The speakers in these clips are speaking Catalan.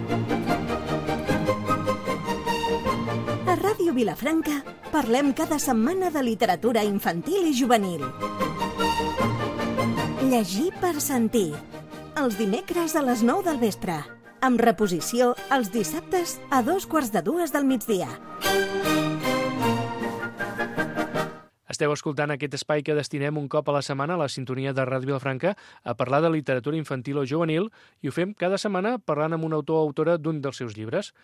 A Ràdio Vilafranca parlem cada setmana de literatura infantil i juvenil. Llegir per sentir. Els dimecres a les 9 del vespre. Amb reposició els dissabtes a 2:45 del migdia. Esteu escoltant aquest espai que destinem un cop a la setmana a la sintonia de Ràdio Vilafranca a parlar de literatura infantil o juvenil, i ho fem cada setmana parlant amb un autor o autora d'un dels seus llibres.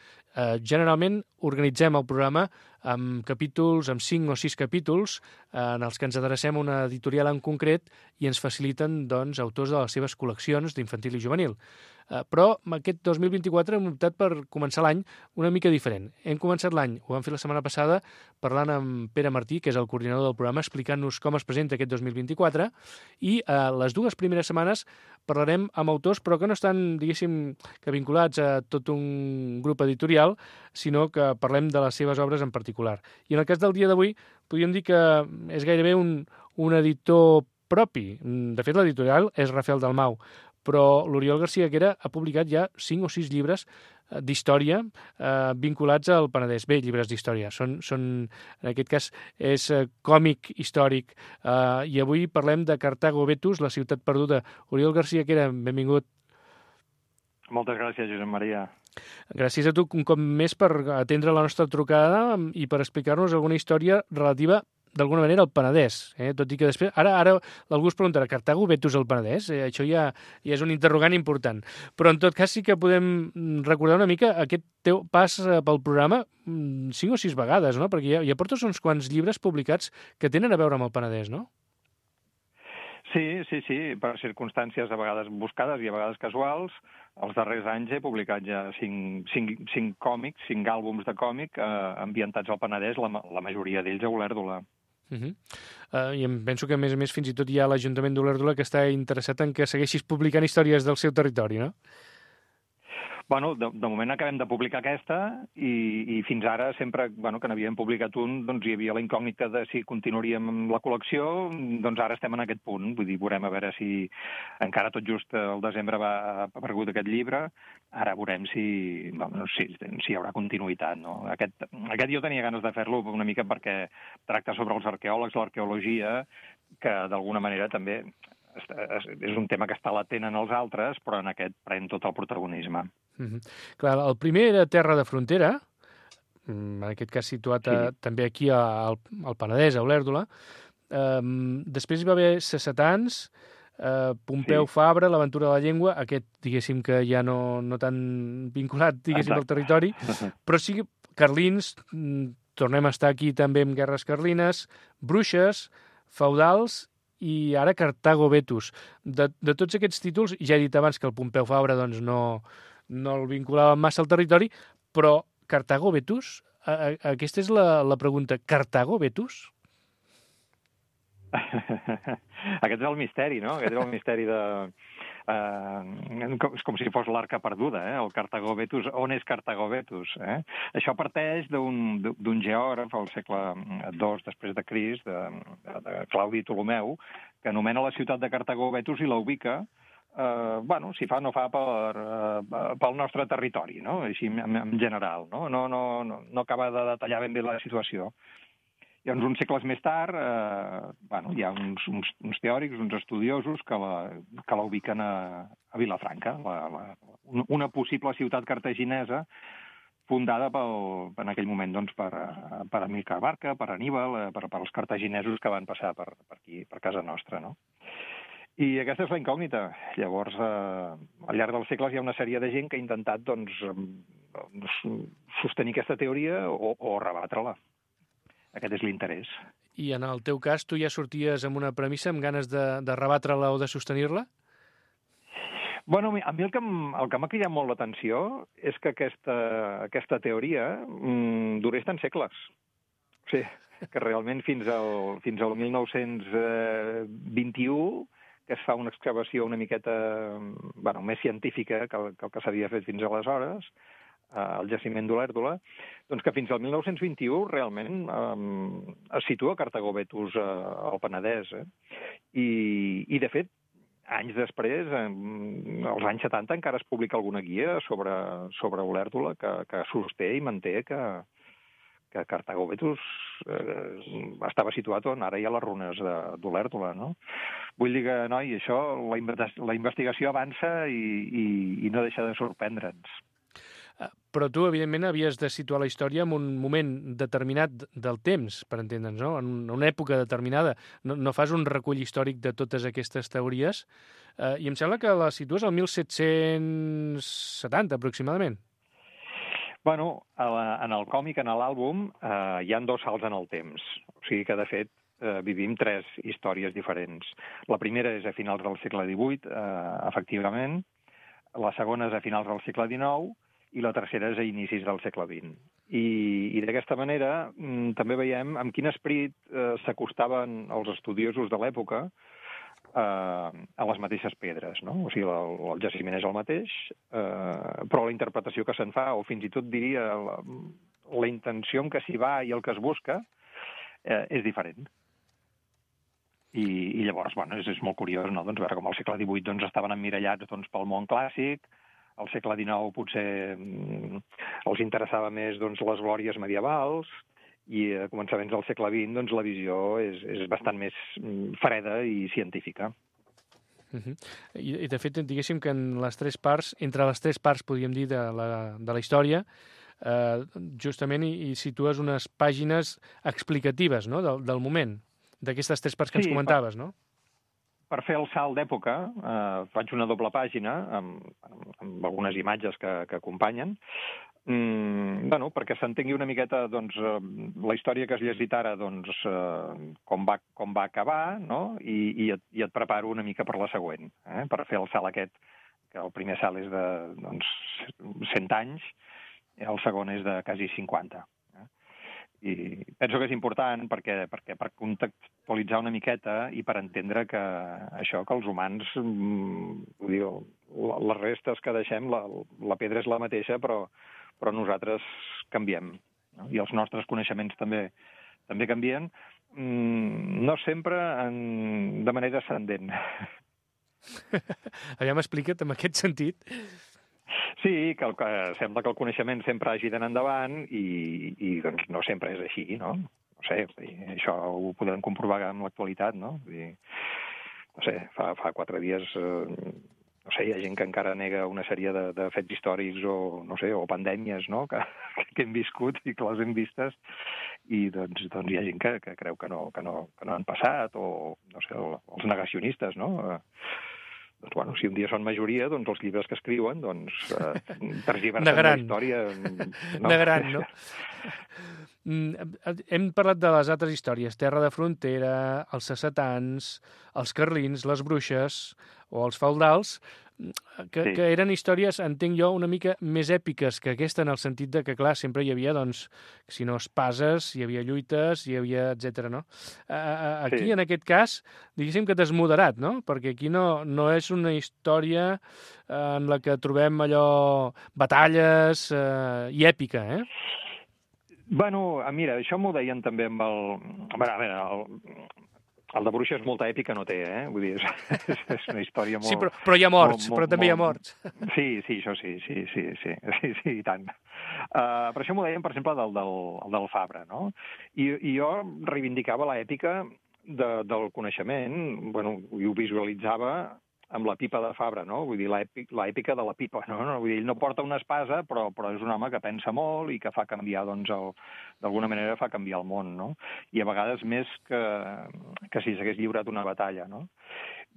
Generalment organitzem el programa amb capítols, amb 5 o 6 capítols, en els que ens adrecem a una editorial en concret i ens faciliten, doncs, autors de les seves col·leccions d'infantil i juvenil. Però aquest 2024 hem optat per començar l'any una mica diferent. Hem començat l'any, ho vam fer la setmana passada, parlant amb Pere Martí, que és el coordinador del programa, explicant-nos com es presenta aquest 2024, i les dues primeres setmanes parlarem amb autors, però que no estan, diguéssim, que vinculats a tot un grup editorial, sinó que parlem de les seves obres en particular. I en el cas del dia d'avui, podríem dir que és gairebé un editor propi. De fet, l'editorial és Rafael Dalmau, però l'Oriol Garcia Quera ha publicat ja 5 o 6 llibres d'història vinculats al Penedès. Bé, llibres d'història. Són, en aquest cas, és còmic històric. I avui parlem de Cartago Vetus, la ciutat perduda. Oriol Garcia Quera, benvingut. Moltes gràcies, Josep Maria. Gràcies a tu un cop més per atendre la nostra trucada i per explicar-nos alguna història relativa d'alguna manera al Penedès, tot i que després... Ara algú es preguntarà, Cartago Vetus al Penedès? Això ja és un interrogant important. Però en tot cas sí que podem recordar una mica aquest teu pas pel programa 5 o 6 vegades, no? Perquè ja portes uns quants llibres publicats que tenen a veure amb el Penedès, no? Sí, per circumstàncies a vegades buscades i a vegades casuals. Els darrers anys he publicat ja 5 còmics, 5 àlbums de còmic ambientats al Penedès, la majoria d'ells a Olèrdola. I em penso que, a més, fins i tot hi ha l'Ajuntament d'Olèrdola que està interessat en que segueixis publicant històries del seu territori, no? Bueno, de moment acabem de publicar aquesta i fins ara sempre que n'havíem publicat un, doncs hi havia la incògnita de si continuaríem amb la col·lecció, doncs ara estem en aquest punt. Vull dir, veurem a veure si encara tot just al desembre ha aparegut aquest llibre, ara veurem si hi haurà continuïtat, no? Aquest jo tenia ganes de fer-lo una mica perquè tracta sobre els arqueòlegs, l'arqueologia, que d'alguna manera també és un tema que està latent en els altres, però en aquest pren tot el protagonisme. Clar, el primer era Terra de Frontera, en aquest cas situat també aquí al Penedès, a Olèrdola. Després hi va haver Sessetans, Pompeu Fabra, l'Aventura de la Llengua, aquest, diguéssim, que ja no tan vinculat, diguéssim, al territori, però sí Carlins, tornem a estar aquí també amb Guerres Carlines, Bruixes, Feudals i ara Cartago Vetus. De tots aquests títols, ja he dit abans que el Pompeu Fabra doncs, no el vinculava massa al territori, però Cartago Vetus, aquesta és la pregunta. Cartago Vetus? Aquest és el misteri, no? Aquest és el misteri de... és com si fos l'arca perduda, el Cartago Vetus. On és Cartago Vetus? Això parteix d'un geògraf al segle II després de Crist, de Claudi Ptolemeu, que anomena la ciutat de Cartago Vetus i la ubica si fa o no fa pel nostre territori, no? Així en general, no? No acaba de detallar ben bé la situació. Llavors, uns segles més tard, hi ha uns teòrics, uns estudiosos que la ubiquen a Vilafranca, una possible ciutat cartaginesa fundada en aquell moment per Amílcar Barca, per Aníbal, per els cartaginesos que van passar per aquí, per casa nostra, no? I aquesta és la incògnita. Llavors, al llarg dels segles hi ha una sèrie de gent que ha intentat sostenir aquesta teoria o rebatre-la. Aquest és l'interès. I en el teu cas, tu ja sorties amb una premissa, amb ganes de rebatre-la o de sostenir-la? Bueno, a mi el que m'ha cridat molt l'atenció és que aquesta teoria durés tants segles. O sigui, que realment fins al 1921 que es fa una excavació una miqueta més científica que el que s'havia fet fins aleshores, al jaciment d'Olèrdola, doncs que fins al 1921 realment es situa Cartago Vetus al Penedès. I de fet, anys després, als anys 70, encara es publica alguna guia sobre Olèrdola que sosté i manté que Cartago Vetus estava situat on ara hi ha les runes d'Olèrdola, no? Vull dir que, noi, això, la investigació avança i no deixa de sorprendre'ns. Però tu, evidentment, havies de situar la història en un moment determinat del temps, per entendre'ns, no? En una època determinada. No fas un recull històric de totes aquestes teories, i em sembla que la situes al 1770, aproximadament. Bueno, en el còmic, en l'àlbum, hi ha 2 salts en el temps. O sigui que, de fet, vivim 3 històries diferents. La primera és a finals del segle XVIII, efectivament. La segona és a finals del segle XIX, i la tercera és a inicis del segle XX. I d'aquesta manera també veiem amb quin esperit s'acostaven els estudiosos de l'època a les mateixes pedres, no? O sigui, el jaciment és el mateix, però la interpretació que se'n fa, o fins i tot diria la intenció en què s'hi va i el que es busca, és diferent. I llavors, bueno, és molt curiós, no? Doncs veure com al segle XVIII estaven emmirallats pel món clàssic, al segle XIX potser els interessava més les glòries medievals, i a començaments del segle XX la visió és bastant més freda i científica. I de fet, diguéssim que en les 3 parts, entre les 3 parts, podríem dir, de la història, justament hi situes unes pàgines explicatives, no?, del moment, d'aquestes 3 parts que ens comentaves, no? Per fer el salt d'època, faig una doble pàgina amb algunes imatges que acompanyen, perquè s'entengui una miqueta la història que has llegit ara, com va acabar, no? I et preparo una mica per la següent, per fer el salt aquest, que el primer salt és de 100 anys, i el segon és de quasi 50. I penso que és important perquè per contextualitzar una miqueta i per entendre que això, que els humans, les restes que deixem, la pedra és la mateixa, però nosaltres canviem, no? I els nostres coneixements també canvien, no sempre de manera ascendent. Aviam, explica't en aquest sentit. Sí, que sembla que el coneixement sempre hagi d'anar endavant i no sempre és així, no? No sé, això ho podem comprovar amb l'actualitat, no? No sé, fa 4 dies, no sé, hi ha gent que encara nega una sèrie de fets històrics o, no sé, o pandèmies, no?, que hem viscut i que les hem vistes, i doncs hi ha gent que creu que no han passat, o, no sé, els negacionistes, no?, bueno, si un dia són majoria, els llibres que escriuen, tergiversen la història. Negaran, no? Hem parlat de les altres històries, Terra de Frontera, els sacetans, els carlins, les bruixes o els feudals, que eren històries, entenc jo, una mica més èpiques que aquesta, en el sentit de que, clar, sempre hi havia, si no espases, hi havia lluites, hi havia, etcètera, no? Aquí, en aquest cas, diguéssim que t'has moderat, no? Perquè aquí no és una història en la que trobem allò, batalles i èpica, Bueno, mira, això m'ho deien també amb el... A veure, el de bruixes molta èpica no té, Vull dir, és una història molt... Sí, però hi ha morts, però també hi ha morts. Sí, això sí, i tant. Per això m'ho deien, per exemple, del Fabra, no? I jo reivindicava l'èpica del coneixement, bueno, i ho visualitzava amb la pipa de Fabra, no? Vull dir, l'èpica de la pipa, no? Vull dir, ell no porta una espasa, però és un home que pensa molt i que fa canviar, d'alguna manera fa canviar el món, no? I a vegades més que si s'hagués lliurat una batalla, no?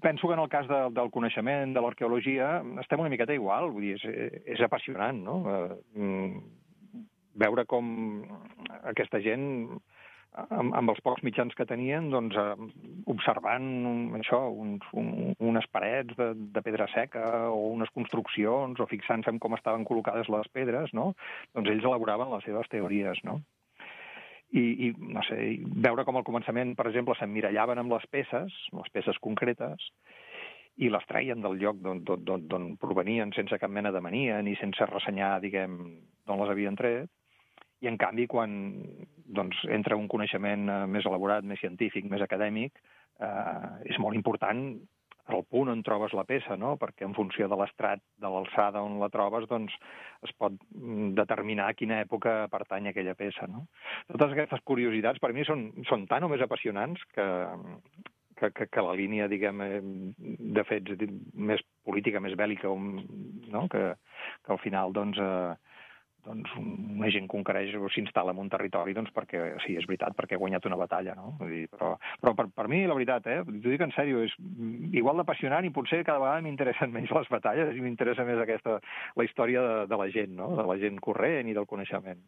Penso que en el cas del coneixement, de l'arqueologia, estem una miqueta igual, vull dir, és apassionant, no? Veure com aquesta gent, amb els pocs mitjans que tenien, observant això, unes parets de pedra seca o unes construccions, o fixant-se en com estaven col·locades les pedres, no? Doncs ells elaboraven les seves teories, no? I no sé, veure com al començament, per exemple, s'emmirallaven amb les peces concretes, i les traien del lloc d'on provenien sense cap mena de mania, ni sense ressenyar, diguem, d'on les havien tret. I, en canvi, quan entra un coneixement més elaborat, més científic, més acadèmic, és molt important el punt on trobes la peça, no? Perquè en funció de l'estrat, de l'alçada on la trobes, doncs es pot determinar a quina època pertany aquella peça, no? Totes aquestes curiositats per mi són tan o més apassionants que la línia, diguem, de fets més política, més bèl·lica, no? Que al final, doncs una gent conquereix o s'instal·la en un territori perquè, sí, és veritat, perquè ha guanyat una batalla, no? Vull dir, però per mi, la veritat, t'ho dic en sèrio, és igual d'apassionant i potser cada vegada m'interessen menys les batalles i m'interessa més la història de la gent, no? De la gent corrent i del coneixement.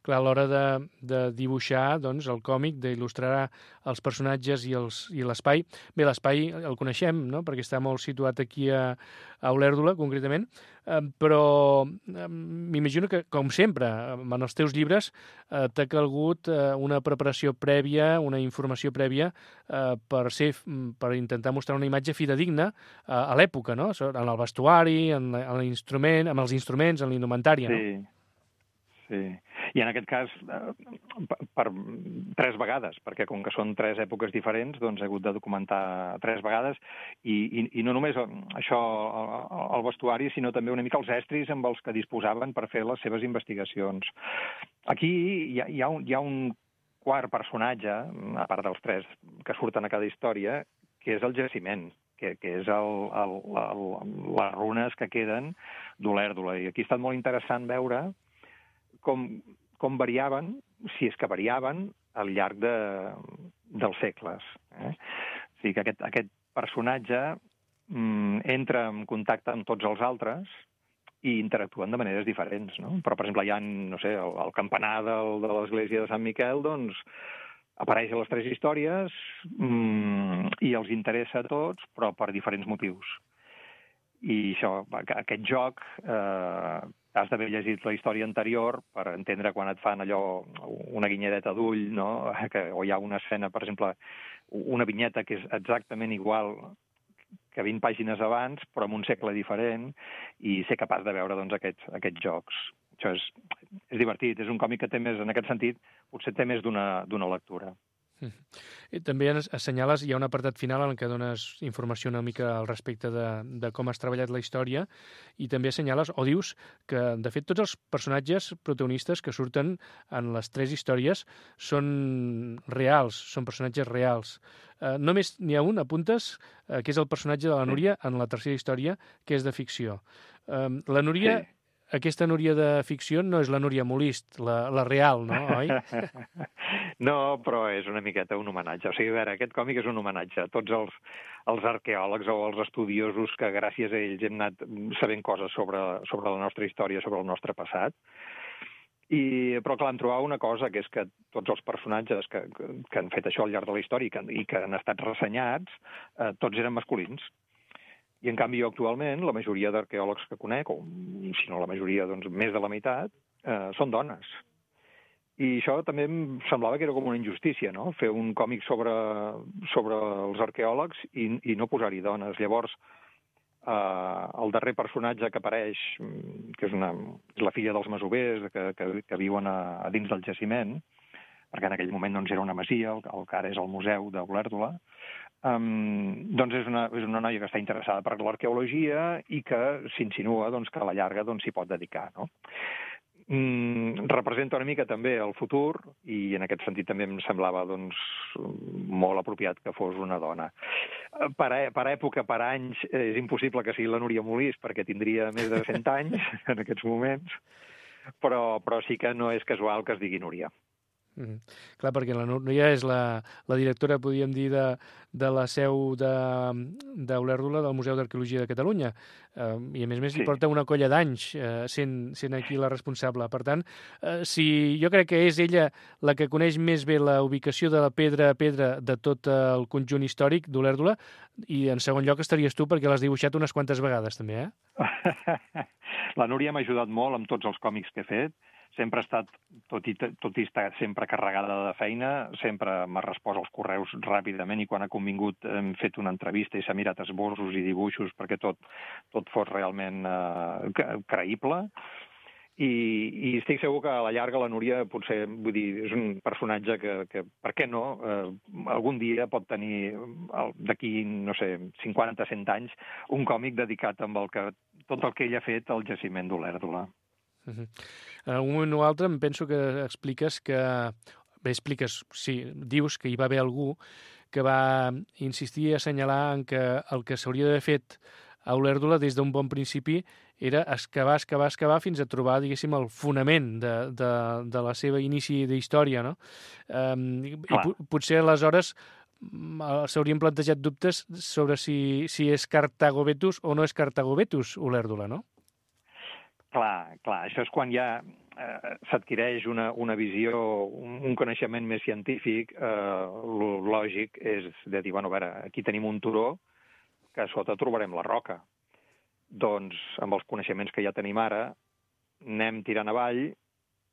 Clar, a l'hora de dibuixar, doncs, el còmic, d'il·lustrar els personatges i l'espai. Bé, l'espai el coneixem, no?, perquè està molt situat aquí a Olèrdola, concretament, però m'imagino que, com sempre, en els teus llibres t'ha calgut una preparació prèvia, una informació prèvia per intentar mostrar una imatge fidedigna a l'època, no?, en el vestuari, en l'instrument, amb els instruments, en l'indumentària, no? Sí. I en aquest cas, per 3 vegades, perquè com que són 3 èpoques diferents, doncs he hagut de documentar 3 vegades, i no només això, el vestuari, sinó també una mica els estris amb els que disposaven per fer les seves investigacions. Aquí hi ha un quart personatge, a part dels 3 que surten a cada història, que és el jaciment, que és les runes que queden d'Olèrdola. I aquí ha estat molt interessant veure com variaven, si és que variaven, al llarg dels segles. O sigui que aquest personatge entra en contacte amb tots els altres i interactuen de maneres diferents, no? Però, per exemple, hi ha, no sé, el campanar de l'església de Sant Miquel, doncs, apareix a les 3 històries i els interessa a tots, però per diferents motius. I això, aquest joc, has d'haver llegit la història anterior per entendre quan et fan allò, una guinyadeta d'ull, no? O hi ha una escena, per exemple, una vinyeta que és exactament igual que 20 pàgines abans, però en un segle diferent, i ser capaç de veure doncs, aquests jocs. Això és divertit, és un còmic que té més, en aquest sentit, potser té més d'una lectura. I també assenyales, hi ha un apartat final en què dones informació una mica al respecte de com has treballat la història, i també assenyales, o dius, que de fet tots els personatges protagonistes que surten en les 3 històries són reals, són personatges reals. Només n'hi ha un, apuntes, que és el personatge de la Núria en la tercera història, que és de ficció. La Núria... Sí. Aquesta Núria de ficció no és la Núria Molist, la real, no, oi? No, però és una miqueta un homenatge. O sigui, a veure, aquest còmic és un homenatge a tots els arqueòlegs o els estudiosos que gràcies a ells hem anat sabent coses sobre la nostra història, sobre el nostre passat. Però, clar, em trobava una cosa, que és que tots els personatges que han fet això al llarg de la història i que han estat ressenyats, tots eren masculins. I, en canvi, actualment, la majoria d'arqueòlegs que conec, o si no la majoria, doncs més de la meitat, són dones. I això també em semblava que era com una injustícia, no?, fer un còmic sobre els arqueòlegs i no posar-hi dones. Llavors, el darrer personatge que apareix, que és la filla dels masovers, que viuen a dins del jaciment, perquè en aquell moment doncs, era una masia, el que ara és el museu d'Olèrdola, doncs és una noia que està interessada per l'arqueologia i que s'insinua doncs, que a la llarga s'hi pot dedicar, no? Representa una mica també el futur i en aquest sentit també em semblava doncs, molt apropiat que fos una dona. Per època, per anys, és impossible que sigui la Núria Molist perquè tindria més de 100 anys en aquests moments, però sí que no és casual que es digui Núria. Clar, perquè la Núria és la directora, podríem dir, de la seu d'Olèrdola del Museu d'Arqueologia de Catalunya, i a més hi porta una colla d'anys sent aquí la responsable. Per tant, jo crec que és ella la que coneix més bé la ubicació de la pedra a pedra de tot el conjunt històric d'Olèrdola, i en segon lloc estaries tu perquè l'has dibuixat unes quantes vegades també, La Núria m'ha ajudat molt amb tots els còmics que he fet. Sempre ha estat, tot i estar sempre carregada de feina, sempre m'ha respost als correus ràpidament i quan ha convingut hem fet una entrevista i s'ha mirat esbossos i dibuixos perquè tot fos realment creïble. I estic segur que a la llarga la Núria potser, vull dir, és un personatge que per què no, algun dia pot tenir, d'aquí, no sé, 50-100 anys, un còmic dedicat amb tot el que ell ha fet al jaciment d'Olèrdola. En un moment o altre em penso que expliques que... Bé, sí, dius que hi va haver algú que va insistir a assenyalar en que el que s'hauria d'haver fet a Olèrdola des d'un bon principi era excavar fins a trobar, diguéssim, el fonament de la seva inici d'història, no? I potser aleshores s'haurien plantejat dubtes sobre si és Carthago Vetus o no és Carthago Vetus Olèrdola, no? Clar, això és quan ja s'adquireix una visió, un coneixement més científic, el lògic és de dir, bueno, a veure, aquí tenim un turó que a sota trobarem la roca. Doncs, amb els coneixements que ja tenim ara, anem tirant avall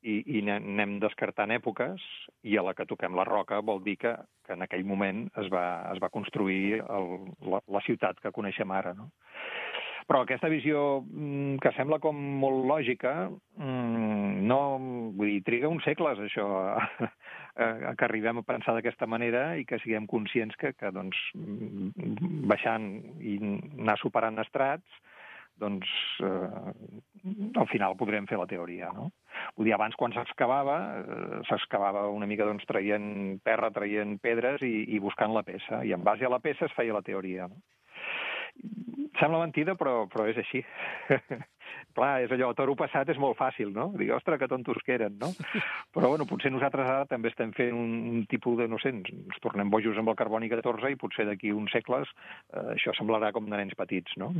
i anem descartant èpoques, i a la que toquem la roca vol dir que en aquell moment es va construir la ciutat que coneixem ara, no? Però aquesta visió que sembla com molt lògica, no, vull dir, triga uns segles, això, que arribem a pensar d'aquesta manera i que siguem conscients que doncs, baixant i anar superant estrats, doncs, al final podrem fer la teoria, no? Vull dir, abans, quan s'excavava una mica, doncs, traient terra, traient pedres i buscant la peça, i en base a la peça es feia la teoria, no? Sembla mentida, però és així. Clar, és allò, toro passat és molt fàcil, no? Dir, ostres, que tontos que eren, no? Però, bueno, potser nosaltres ara també estem fent un tipus de, no sé, ens tornem bojos amb el carboni 14 i potser d'aquí uns segles això semblarà com de nens petits, no?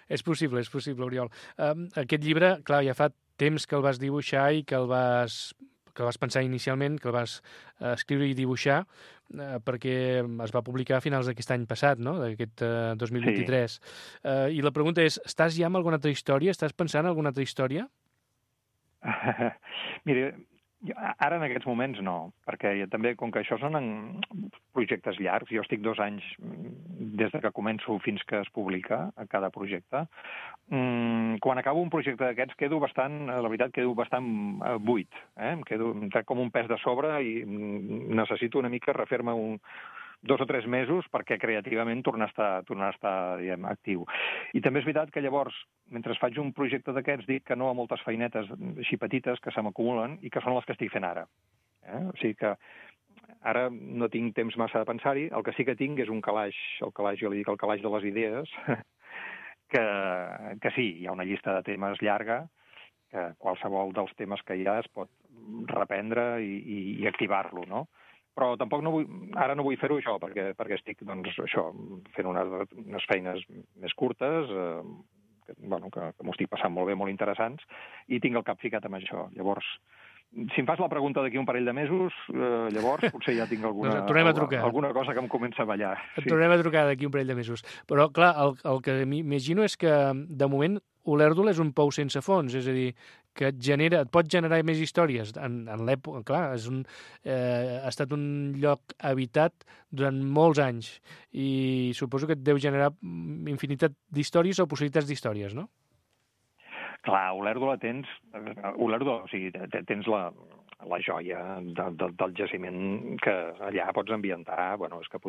És possible, Oriol. Aquest llibre, clar, ja fa temps que el vas dibuixar i que el vas pensar inicialment, que el vas escriure i dibuixar, perquè es va publicar a finals d'aquest any passat, no?, d'aquest 2023. Sí. I la pregunta és, estàs ja amb alguna altra història? Estàs pensant en alguna altra història? Mira, ara en aquests moments no, perquè també, com que això són projectes llargs, jo estic 2 anys des que començo fins que es publica a cada projecte. Quan acabo un projecte d'aquests la veritat, quedo bastant buit. Em trec com un pes de sobre i necessito una mica refer-me 2 o 3 mesos perquè creativament tornar a estar diguem, actiu. I també és veritat que llavors, mentre faig un projecte d'aquests, dic que no a moltes feinetes així petites que se m'acumulen i que són les que estic fent ara. O sigui que ara no tinc temps massa de pensar-hi. El que sí que tinc és un calaix, jo li dic el calaix de les idees, que sí, hi ha una llista de temes llarga, que qualsevol dels temes que hi ha es pot reprendre i activar-lo, no? Però tampoc ara no vull fer-ho això, perquè estic, doncs, això, fent unes feines més curtes, que m'ho estic passant molt bé, molt interessants, i tinc el cap ficat amb això. Llavors, si em fas la pregunta d'aquí un parell de mesos, llavors potser ja tinc alguna cosa que em comença a ballar. Et tornem a trucar d'aquí un parell de mesos. Però, clar, el que m'imagino és que, de moment, Olèrdola és un pou sense fons, és a dir, que et pot generar més històries. En l'època, clar, ha estat un lloc habitat durant molts anys i suposo que et deu generar infinitat d'històries o possibilitats d'històries, no? Clar, Olèrdola tens la joia del jaciment que allà pots ambientar. Bueno, és que,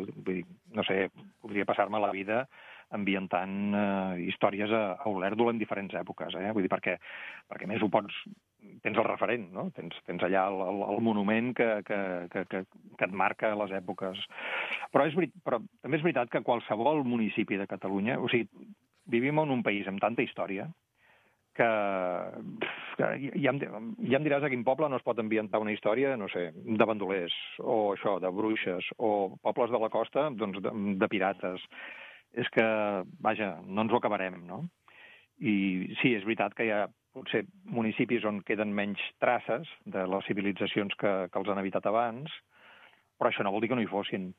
no sé, podria passar-me la vida ambientant històries a Olèrdola en diferents èpoques, Vull dir, perquè a més tens el referent, no? Tens allà el monument que et marca les èpoques. Però també és veritat que qualsevol municipi de Catalunya, o sigui, vivim en un país amb tanta història que ja em diràs a quin poble no es pot ambientar una història, no sé, de bandolers, o això, de bruixes, o pobles de la costa, doncs, de pirates. És que, vaja, no ens ho acabarem, no? I sí, és veritat que hi ha potser municipis on queden menys traces de les civilitzacions que els han habitat abans, però això no vol dir que no hi fossin.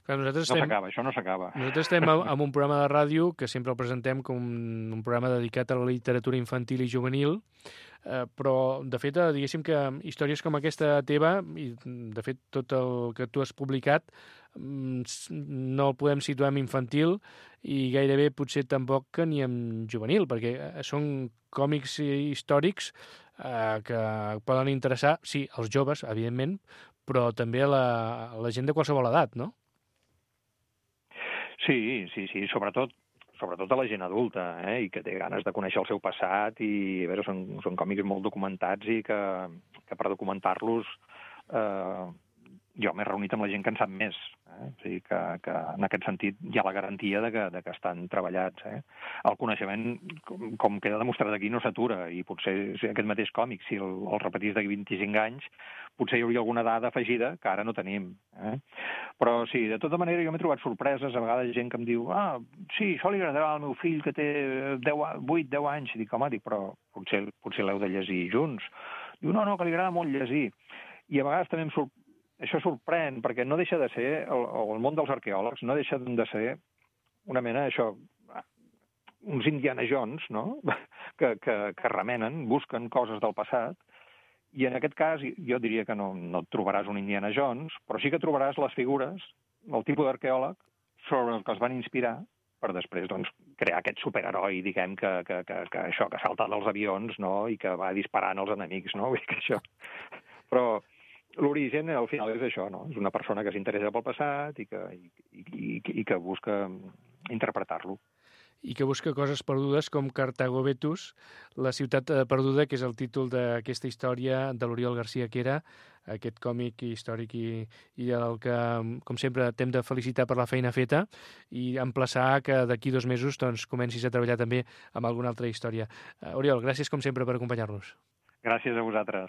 Clar, això no s'acaba. Nosaltres estem en un programa de ràdio que sempre el presentem com un programa dedicat a la literatura infantil i juvenil. però, de fet, diguéssim que històries com aquesta teva, i de fet tot el que tu has publicat, no el podem situar en infantil i gairebé potser tampoc que ni en juvenil, perquè són còmics històrics que poden interessar, sí, als joves, evidentment, però també a la gent de qualsevol edat, no? Sí, sobretot a la gent adulta, i que té ganes de conèixer el seu passat, i a veure, són còmics molt documentats i que per documentar-los jo m'he reunit amb la gent que en sap més. O sigui que en aquest sentit hi ha la garantia de que estan treballats. El coneixement, com queda demostrat aquí, no s'atura, i potser aquest mateix còmic, si el repetís d'aquí 25 anys, potser hi hauria alguna dada afegida que ara no tenim. Però sí, de tota manera jo m'he trobat sorpreses, a vegades gent que em diu sí, això li agradarà al meu fill que té 8-10 anys. I dic, home, però potser l'heu de llegir junts. Diu, no, que li agrada molt llegir. I a vegades també això sorprèn, perquè no deixa de ser, el món dels arqueòlegs no deixa de ser una mena, uns Indiana Jones, no?, que remenen, busquen coses del passat, i en aquest cas jo diria que no et trobaràs un Indiana Jones, però sí que trobaràs les figures, el tipus d'arqueòleg sobre el que es van inspirar per després crear aquest superheroi, diguem, que salta dels avions, no?, i que va disparant als enemics, no?, vull dir que això... Però l'origen, al final, és això, no? És una persona que s'interessa pel passat i que busca interpretar-lo. I que busca coses perdudes com Cartago Vetus, la ciutat perduda, que és el títol d'aquesta història de l'Oriol García Quera, aquest còmic històric i el que, com sempre, t'hem de felicitar per la feina feta i emplaçar que d'aquí 2 mesos comencis a treballar també amb alguna altra història. Oriol, gràcies com sempre per acompanyar-nos. Gràcies a vosaltres.